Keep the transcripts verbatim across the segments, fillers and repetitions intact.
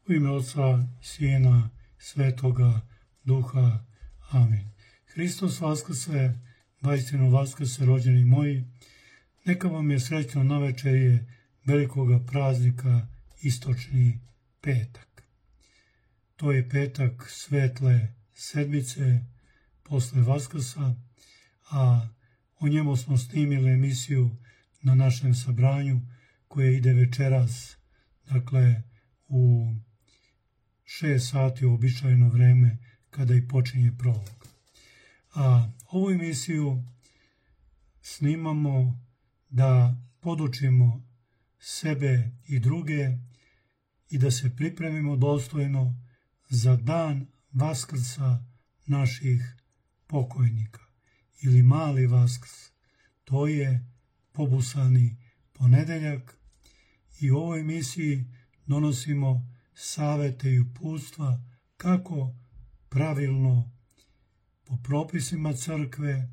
U ime Oca, Sina, Svetoga Duha. Amin. Hristos vaskrse, vaistinu vaskrse, rođeni moji. Neka vam je srećno navečerje velikoga praznika, istočni petak. To je petak svetle sedmice posle Vaskrsa, a o njemu smo snimili emisiju na našem sabranju koje ide večeras, dakle u šest sati uobičajeno vreme kada i počinje prolog. A ovu emisiju snimamo da podučimo sebe i druge i da se pripremimo dostojno za dan Vaskrsa naših pokojnika ili mali Vaskrs. To je pobusani ponedeljak i u ovoj emisiji donosimo savete i uputstva kako pravilno po propisima crkve,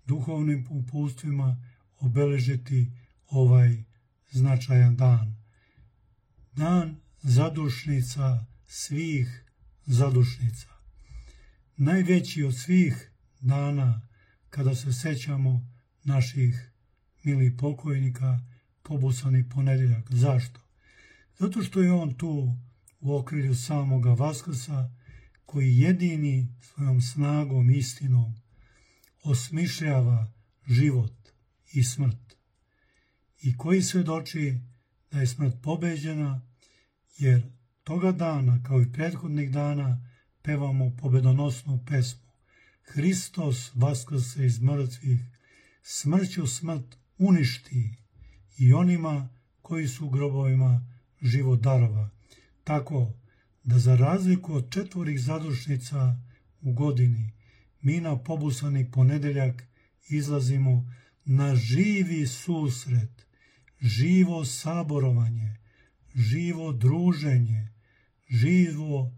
duhovnim uputstvima obeležiti ovaj značajan dan. Dan zadušnica svih zadušnica. Najveći od svih dana kada se sećamo naših milih pokojnika, pobusani ponedeljak. Zašto? Zato što je on tu u okrilju samoga Vaskrsa, koji jedini svojom snagom, istinom osmišljava život i smrt i koji svedoči da je smrt pobeđena, jer toga dana, kao i prethodnih dana, pevamo pobedonosnu pesmu. Hristos vaskrse iz mrtvih, smrću smrt uništi i onima koji su u grobovima život darova. Tako da za razliku od četvorih zadušnica u godini, mi na pobusani ponedeljak izlazimo na živi susret, živo saborovanje, živo druženje, živo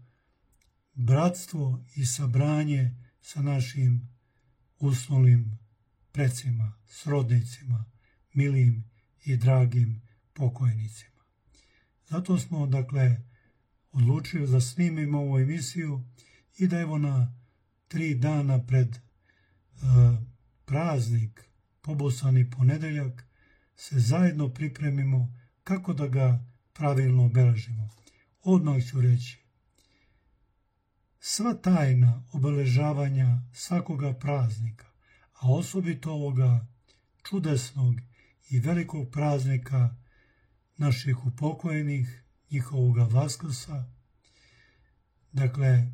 bratstvo i sabranje sa našim usnulim precima, srodnicima, milim i dragim pokojnicima. Zato smo, dakle, odlučili da snimimo ovu emisiju i da evo na tri dana pred uh, praznik, pobusani ponedeljak, se zajedno pripremimo kako da ga pravilno obeležimo. Odmah ću reći, sva tajna obeležavanja svakoga praznika, a osobito ovoga čudesnog i velikog praznika naših upokojenih, njihovoga Vaskrsa, dakle,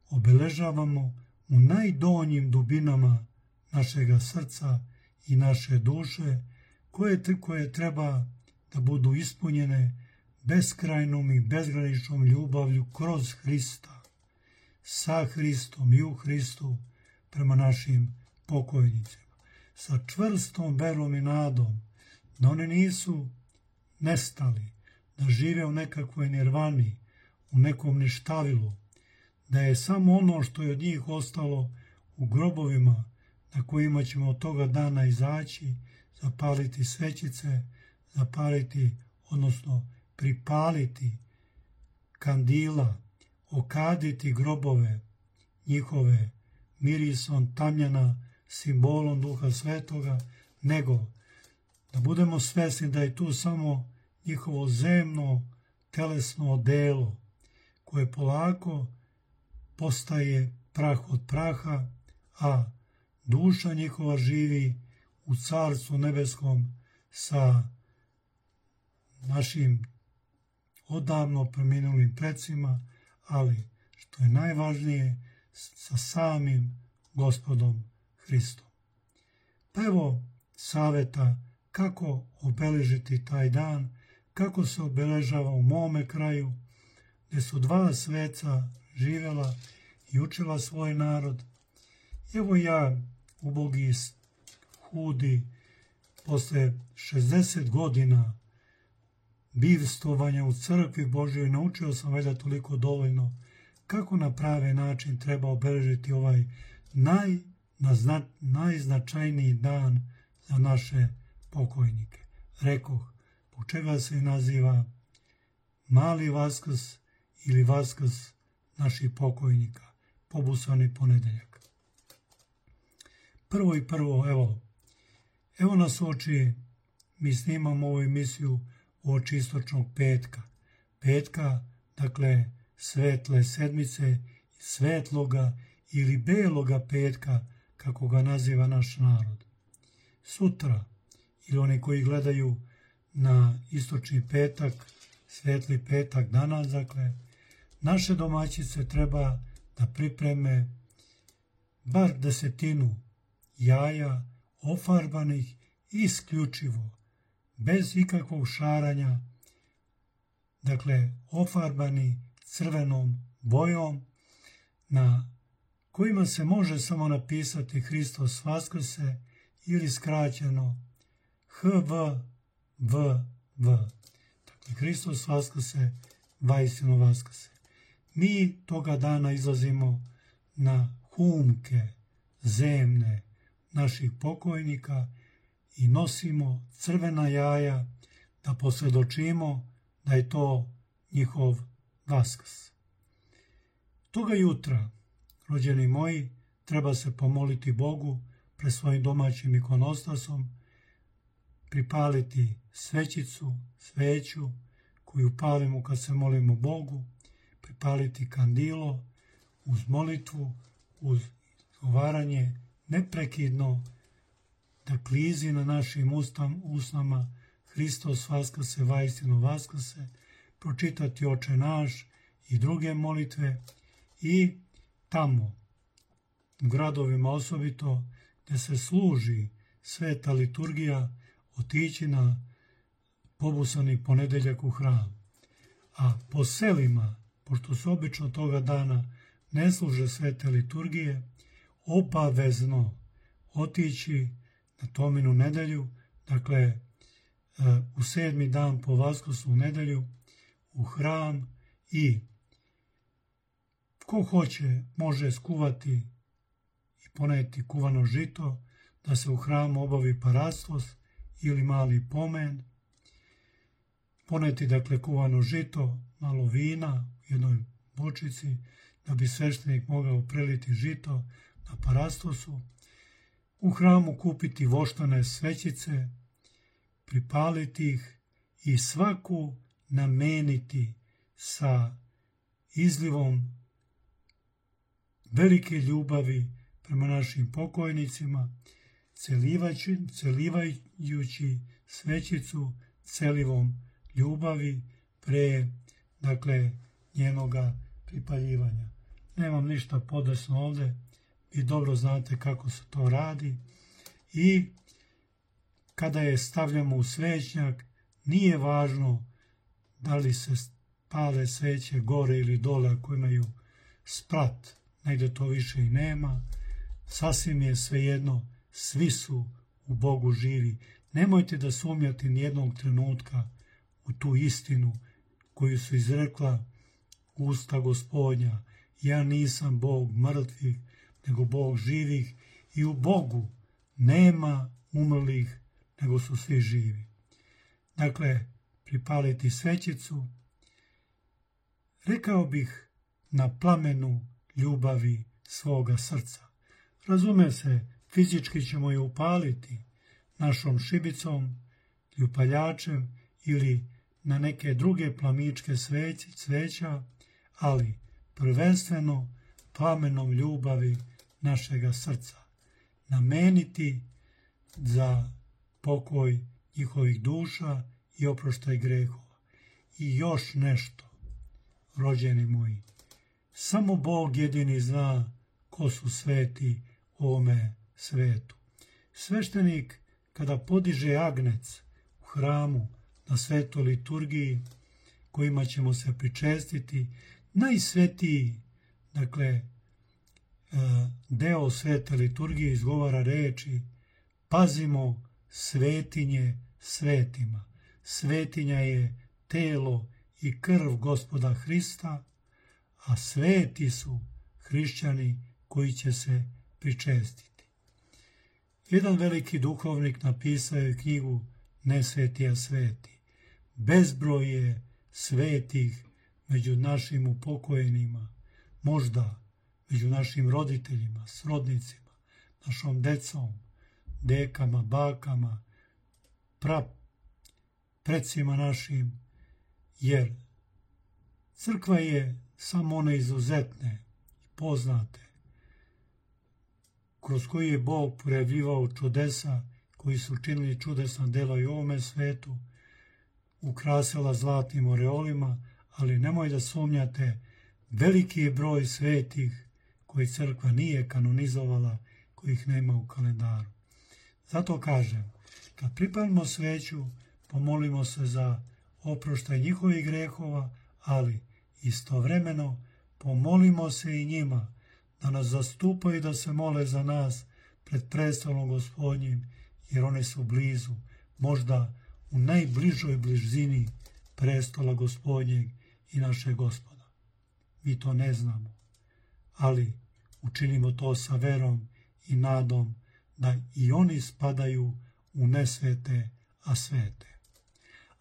obeležavamo u najdonjim dubinama našega srca i naše duše, koje, koje treba da budu ispunjene beskrajnom i bezgraničnom ljubavlju kroz Hrista, sa Hristom i u Hristu prema našim pokojnicima, sa čvrstom verom i nadom da oni nisu nestali, da žive u nekakvoj nirvani, u nekom ništavilu, da je samo ono što je od njih ostalo u grobovima na kojima ćemo od toga dana izaći, zapaliti svećice, zapaliti, odnosno pripaliti kandila, okaditi grobove njihove mirisom tamjana, simbolom Duha Svetoga, nego da budemo svesni da je tu samo njihovo zemno, telesno odelo, koje polako postaje prah od praha, a duša njihova živi u Carstvu nebeskom sa našim odavno preminulim precima, ali što je najvažnije, sa samim Gospodom Hristom. Pa evo saveta kako obeležiti taj dan, kako se obeležava u mome kraju, gdje su dva sveca živjela i učila svoj narod. Evo ja, ubogi, hudi, posle šezdeset godina bivstovanja u crkvi Božjoj, naučio sam valjda toliko dovoljno kako na pravi način treba obeležiti ovaj naj, nazna, najznačajniji dan za naše pokojnike. Rekoh, po čega se naziva mali Vaskrs ili Vaskrs naših pokojnika, pobusani ponedeljak. Prvo i prvo, evo, evo nas oči, mi snimamo ovu emisiju uoči istočnog petka. Petka, dakle, svetle sedmice, svetloga ili beloga petka, kako ga naziva naš narod. Sutra, ili oni koji gledaju na istočni petak, svetli petak danas, dakle, naše domaćice treba da pripreme bar desetinu jaja ofarbanih isključivo, bez ikakvog šaranja, dakle, ofarbani crvenom bojom, na kojima se može samo napisati Hristos Vaskrse ili skraćeno H V V V. Dakle, Hristos Vaskrse, vaistinu Vaskrse. Mi toga dana izlazimo na humke zemne naših pokojnika i nosimo crvena jaja da posvjedočimo da je to njihov Vaskrs. Toga jutra, rođeni moji, treba se pomoliti Bogu pred svojim domaćim ikonostasom, pripaliti svećicu, sveću koju palimo kad se molimo Bogu, pripaliti kandilo uz molitvu, uz izgovaranje neprekidno da klizi na našim ustam, usnama Hristos Vaskrse, vaistinu Vaskrse, pročitati Oče naš i druge molitve i tamo, u gradovima osobito, gdje se služi sveta liturgija, otići na pobusani ponedeljak u hram. A po selima, pošto se obično toga dana ne služe svete liturgije, obavezno otići na Tominu nedelju, dakle u sedmi dan po Vaskrsu nedelju, u hram i ko hoće može skuvati i poneti kuvano žito, da se u hramu obavi parastos ili mali pomen, poneti dakle kuvano žito, malo vina u jednoj bočici, da bi sveštenik mogao preliti žito na parastosu, u hramu kupiti voštane svećice, pripaliti ih i svaku nameniti sa izlivom velike ljubavi prema našim pokojnicima, celivajući, celivajući svećicu celivom ljubavi pre, dakle, njenoga pripaljivanja. Nemam ništa podesno ovde, vi dobro znate kako se to radi i kada je stavljamo u svećnjak, nije važno da li se pale sveće gore ili dole ako imaju sprat, negde to više i nema, sasvim je svejedno, svi su u Bogu živi. Nemojte da sumnjate nijednog trenutka u tu istinu koju su izrekla usta Gospodnja. Ja nisam Bog mrtvih, nego Bog živih i u Bogu nema umrlih, nego su svi živi. Dakle, pripaliti svećicu, rekao bih na plamenu ljubavi svoga srca. Razume se, fizički ćemo je upaliti našom šibicom, ljupaljačem ili na neke druge plamičke sveć, sveća, ali prvenstveno plamenom ljubavi našega srca. Nameniti za pokoj njihovih duša i oproštaj grehova. I još nešto, rođeni moji, samo Bog jedini zna ko su sveti u ovome svetu. Sveštenik, kada podiže agnec u hramu na svetoj liturgiji, kojima ćemo se pričestiti, najsvetiji, dakle, deo svete liturgije izgovara reči: pazimo svetinje svetima. Svetinja je telo i krv Gospoda Hrista, a sveti su hrišćani koji će se pričestiti. Jedan veliki duhovnik napisao je knjigu Ne sveti, a sveti. Bezbroj je svetih među našim upokojenima, možda među našim roditeljima, srodnicima, našom decom, dekama, bakama, pra, precima našim, jer crkva je samo one izuzetne i poznate, kroz koji je Bog projavljivao čudesa, koji su činili čudesna dela i u ovome svetu, ukrasila zlatnim oreolima, ali nemoj da sumnjate, veliki je broj svetih koji crkva nije kanonizovala, kojih nema u kalendaru. Zato kažem, kad pripalimo sveću, pomolimo se za oproštaj njihovih grehova, ali istovremeno pomolimo se i njima da nas zastupaju i da se mole za nas pred prestolom Gospodnjim, jer oni su blizu, možda u najbližoj blizini prestola Gospodnjeg i našeg Gospoda. Mi to ne znamo, ali učinimo to sa verom i nadom da i oni spadaju u nesvete, a svete.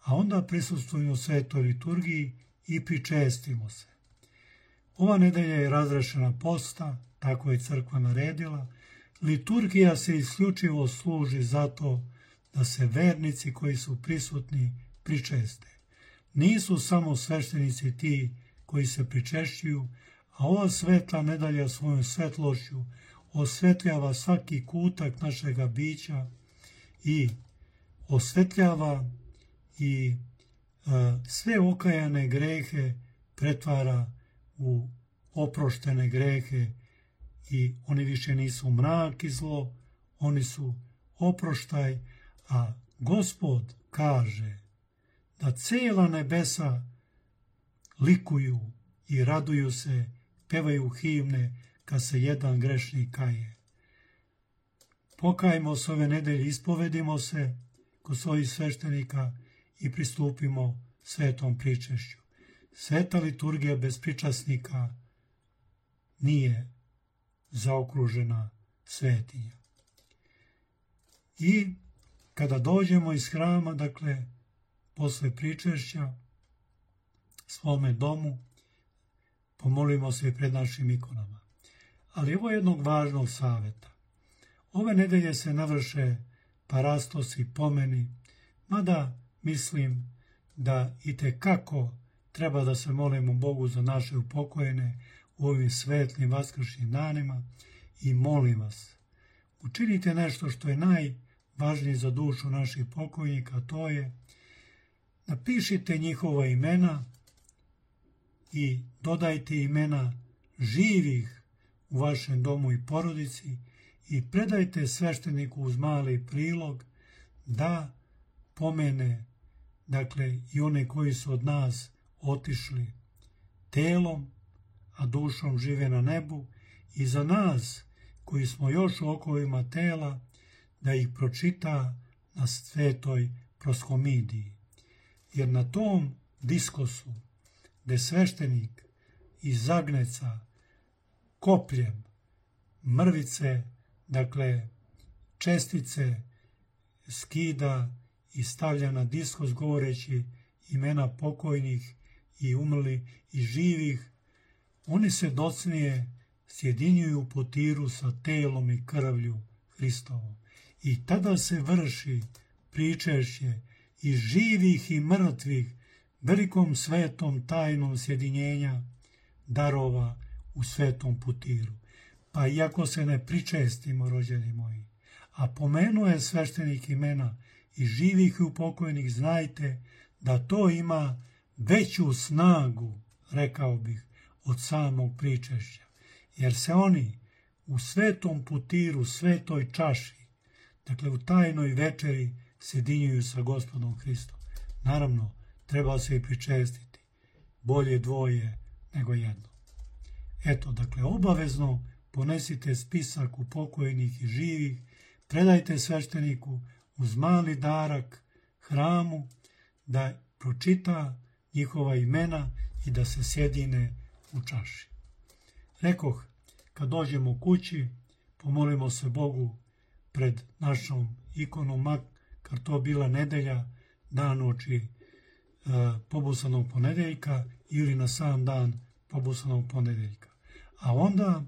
A onda prisustvujemo svetoj liturgiji i pričestimo se. Ova nedelja je razrešena posta, tako je crkva naredila. Liturgija se isključivo služi zato da se vernici koji su prisutni pričeste. Nisu samo sveštenici ti koji se pričešćuju, a ova svetla nedelja svojom svetlošću osvetljava svaki kutak našega bića i osvetljava i e, sve okajane grehe pretvara u oproštene grehe i oni više nisu mrak i zlo, oni su oproštaj, a Gospod kaže da cijela nebesa likuju i raduju se, pevaju himne kad se jedan grešnik kaje. Pokajmo se ove nedelje, ispovedimo se kod svojih sveštenika i pristupimo svetom pričešću. Sveta liturgija bez pričasnika nije zaokružena svetinja. I kada dođemo iz hrama, dakle, posle pričešća, svome domu, pomolimo se i pred našim ikonama. Ali evo jednog važnog saveta. Ove nedelje se navrše parastosi, pomeni, mada mislim da itekako treba da se molimo Bogu za naše upokojene u ovim svetlim vaskršnjim danima i molim vas, učinite nešto što je najvažnije za dušu naših pokojnika, to je napišite njihova imena i dodajte imena živih u vašem domu i porodici i predajte svešteniku uz mali prilog da pomene, dakle, i one koji su od nas otišli telom, a dušom žive na nebu, i za nas koji smo još u okovima tela, da ih pročita na svetoj proskomidiji. Jer na tom diskosu, gde sveštenik iz zagneca kopljem mrvice, dakle čestice, skida i stavlja na diskos govoreći imena pokojnih i umrli i živih, oni se docnije sjedinjuju u potiru sa telom i krvlju Hristovom. I tada se vrši pričešće i živih i mrtvih velikom svetom tajnom sjedinjenja darova u svetom putiru. Pa iako se ne pričestimo, rođeni moji, a pomenuje sveštenik imena i živih i upokojnih, znajte da to ima veću snagu, rekao bih, od samog pričešća. Jer se oni u svetom putiru, svetoj čaši, dakle u tajnoj večeri, sjedinjuju sa Gospodom Hristom. Naravno, treba se i pričestiti. Bolje dvoje nego jedno. Eto, dakle, obavezno ponesite spisak upokojnih i živih, predajte svešteniku uz mali darak hramu da pročita njihova imena i da se sjedine u čaši. Rekoh, kad dođemo kući, pomolimo se Bogu pred našom ikonom, makar to bila nedelja, dan oči pobusanog ponedeljka ili na sam dan pobusanog ponedeljka. A onda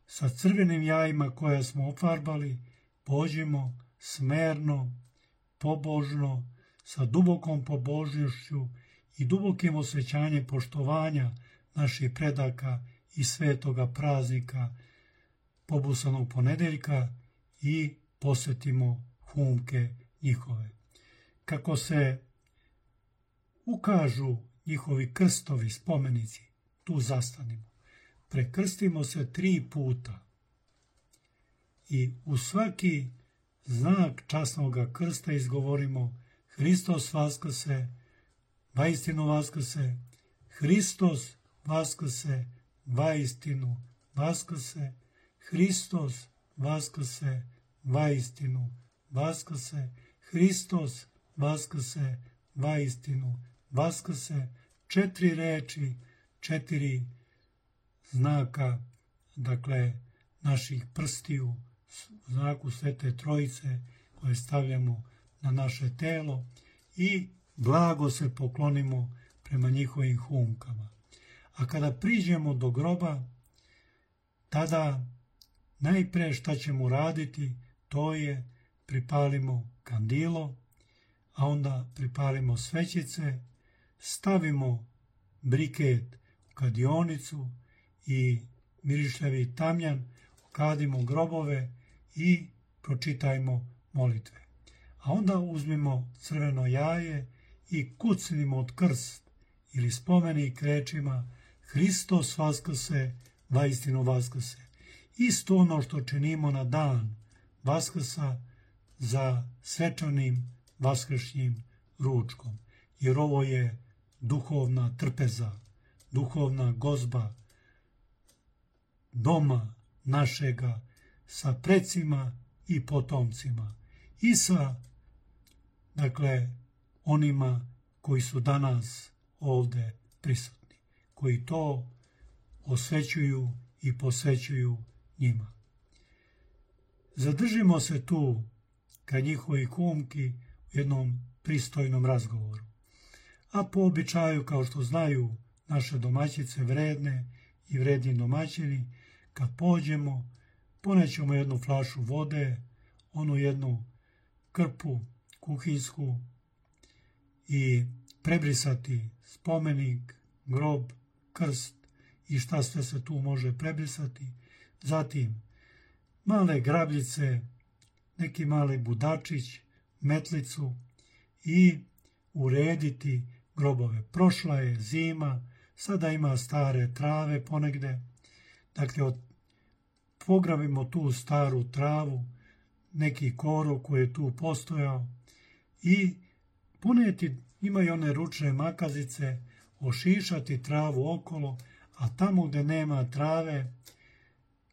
sa crvenim jajima koja smo ofarbali pođemo smerno, pobožno, sa dubokom pobožnošću i dubokim osjećanjem poštovanja naših predaka i svetoga praznika pobusanog ponedeljka i posjetimo humke njihove. Kako se ukažu njihovi krstovi, spomenici, tu zastanimo. Prekrstimo se tri puta i u svaki znak časnog krsta izgovorimo Hristos vaskrse, vaistinu vaskrse, Hristos vaskrse, vaistinu vaskrse, Hristos vaskrse, vaistinu vaskrse, Hristos vaskrse, vaistinu vaskrse, četiri reči, četiri znaka, dakle, naših prstiju, znaku Svete Trojice koje stavljamo na naše telo i blago se poklonimo prema njihovim humkama. A kada priđemo do groba, tada najpre šta ćemo raditi, to je pripalimo kandilo, a onda pripalimo svećice, stavimo briket u kadionicu i mirišljavi tamjan, okadimo grobove i pročitajmo molitve. A onda uzmimo crveno jaje i kucnimo od krst ili spomenik rečima Hristos vaskrse, vaistinu vaskrse. Isto ono što činimo na dan Vaskrsa za svečanim vaskršnjim ručkom. Jer ovo je duhovna trpeza, duhovna gozba doma našega sa precima i potomcima i sa, dakle, onima koji su danas ovde prisutni, koji to osvećuju i posvećuju njima. Zadržimo se tu kad njihovi humki u jednom pristojnom razgovoru. A po običaju, kao što znaju naše domaćice vredne i vredni domaćini, kad pođemo, ponećemo jednu flašu vode, onu jednu krpu kuhinsku i prebrisati spomenik, grob, krst i šta sve se tu može prebrisati. Zatim male grabljice, neki mali budačić, metlicu i urediti grobove. Prošla je zima, sada ima stare trave ponegde. Dakle, od, pograbimo tu staru travu, neki korov koji je tu postojao i poneti, imaju one ručne makazice, ošišati travu okolo, a tamo gde nema trave,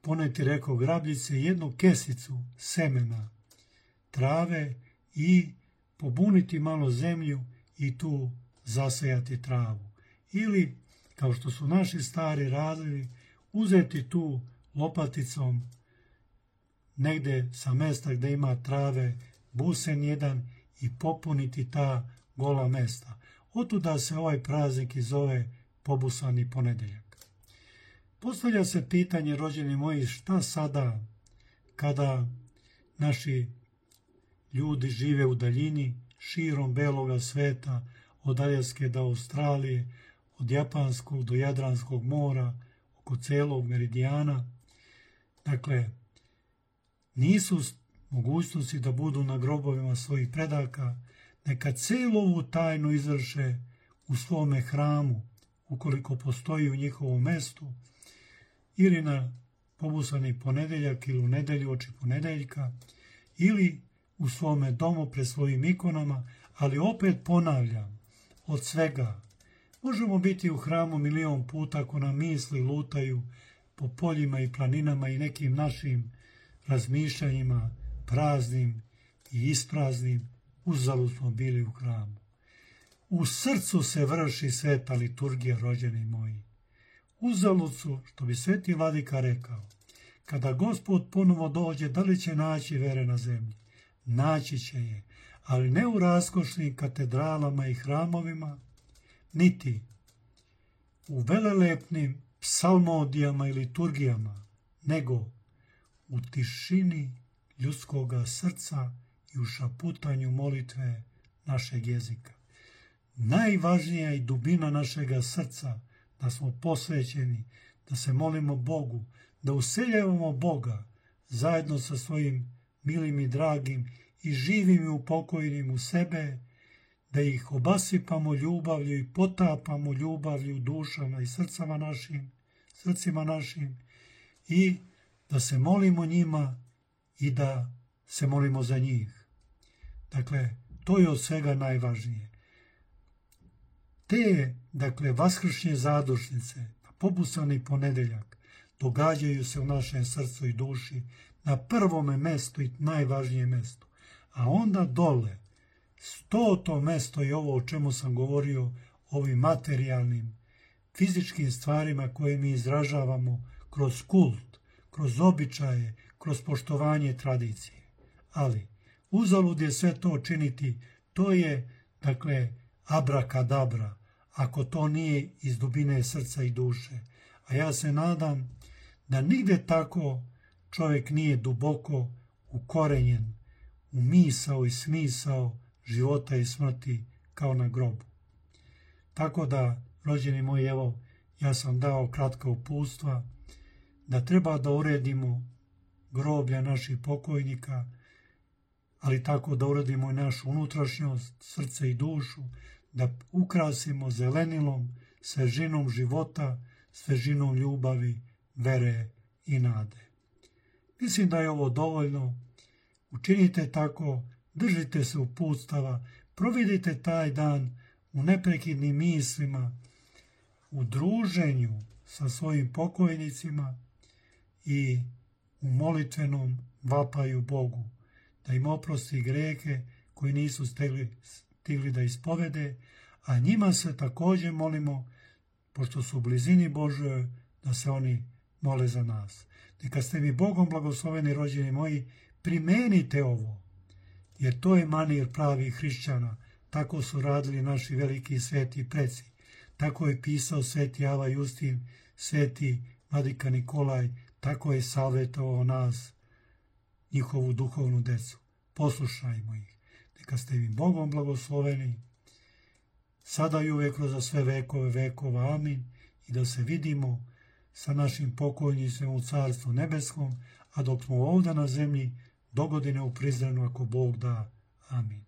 poneti, rekao, grabljice, jednu kesicu semena trave i pobuniti malo zemlju i tu zasejati travu. Ili, kao što su naši stari radili, uzeti tu lopaticom negde sa mesta gde ima trave busen jedan i popuniti ta gola mesta. Otuda se ovaj praznik i zove pobusani ponedeljak. Postavlja se pitanje, rođeni moji, šta sada kada naši ljudi žive u daljini, širom beloga sveta, od Aljaske do Australije, od Japanskog do Jadranskog mora, oko celog meridijana. Dakle, nisu mogućnosti da budu na grobovima svojih predaka, neka celu ovu tajnu izvrše u svome hramu, ukoliko postoji u njihovom mestu, ili na pobusani ponedeljak ili u nedelju oči ponedeljka, ili u svome domu pred svojim ikonama, ali opet ponavljam, od svega. Možemo biti u hramu milion puta ako nam misli lutaju po poljima i planinama i nekim našim razmišljanjima praznim i ispraznim, uzalud smo bili u hramu. U srcu se vrši sveta liturgija, rođeni moji. Uzalud su, što bi sveti vladika rekao, kada Gospod ponovo dođe, da li će naći vere na zemlji? Naći će je, ali ne u raskošnim katedralama i hramovima, niti u velelepnim psalmodijama i liturgijama, nego u tišini ljudskoga srca i u šaputanju molitve našeg jezika. Najvažnija i dubina našega srca, da smo posvećeni, da se molimo Bogu, da useljavamo Boga zajedno sa svojim milim i dragim i živim i upokojnim u sebe, da ih obasipamo ljubavlju i potapamo ljubavlju u dušama i srcama našim, srcima našim i da se molimo njima i da se molimo za njih. Dakle, to je od svega najvažnije. Te, dakle, vaskršnje zadušnice, pobusani ponedeljak, događaju se u našem srcu i duši na prvome mestu i najvažnijem mestu. A onda dole, stoto mesto je ovo o čemu sam govorio, ovim materijalnim, fizičkim stvarima koje mi izražavamo kroz kult, kroz običaje, kroz poštovanje tradicije. Ali, uzalud je sve to činiti, to je, dakle, abrakadabra, ako to nije iz dubine srca i duše. A ja se nadam da nigde tako čovjek nije duboko ukorenjen u misao i smisao života i smrti kao na grobu. Tako da, rođeni moji, evo, ja sam dao kratka uputstva da treba da uredimo groblja naših pokojnika, ali tako da uredimo i našu unutrašnjost, srce i dušu, da ukrasimo zelenilom, svežinom života, svežinom ljubavi, vere i nade. Mislim da je ovo dovoljno. Učinite tako, držite se uputstava, provedite taj dan u neprekidnim mislima, u druženju sa svojim pokojnicima i u molitvenom vapaju Bogu, da im oprosti grehe koji nisu stigli, stigli da ispovede, a njima se također molimo, pošto su u blizini Božoj, da se oni mole za nas. Neka ste mi Bogom blagosloveni, rođeni moji, primenite ovo, jer to je manir pravih hrišćana. Tako su radili naši veliki sveti preci. Tako je pisao sveti Ava Justin, sveti Vladika Nikolaj, tako je savjetovao nas, njihovu duhovnu decu. Poslušajmo ih. Neka ste mi Bogom blagosloveni, sada i uvijek za sve vekove vekova. Amin. I da se vidimo sa našim pokojnicima u Carstvu nebeskom, a dok smo ovdje na zemlji, dogodine u Prizrenu, ako Bog da. Amin.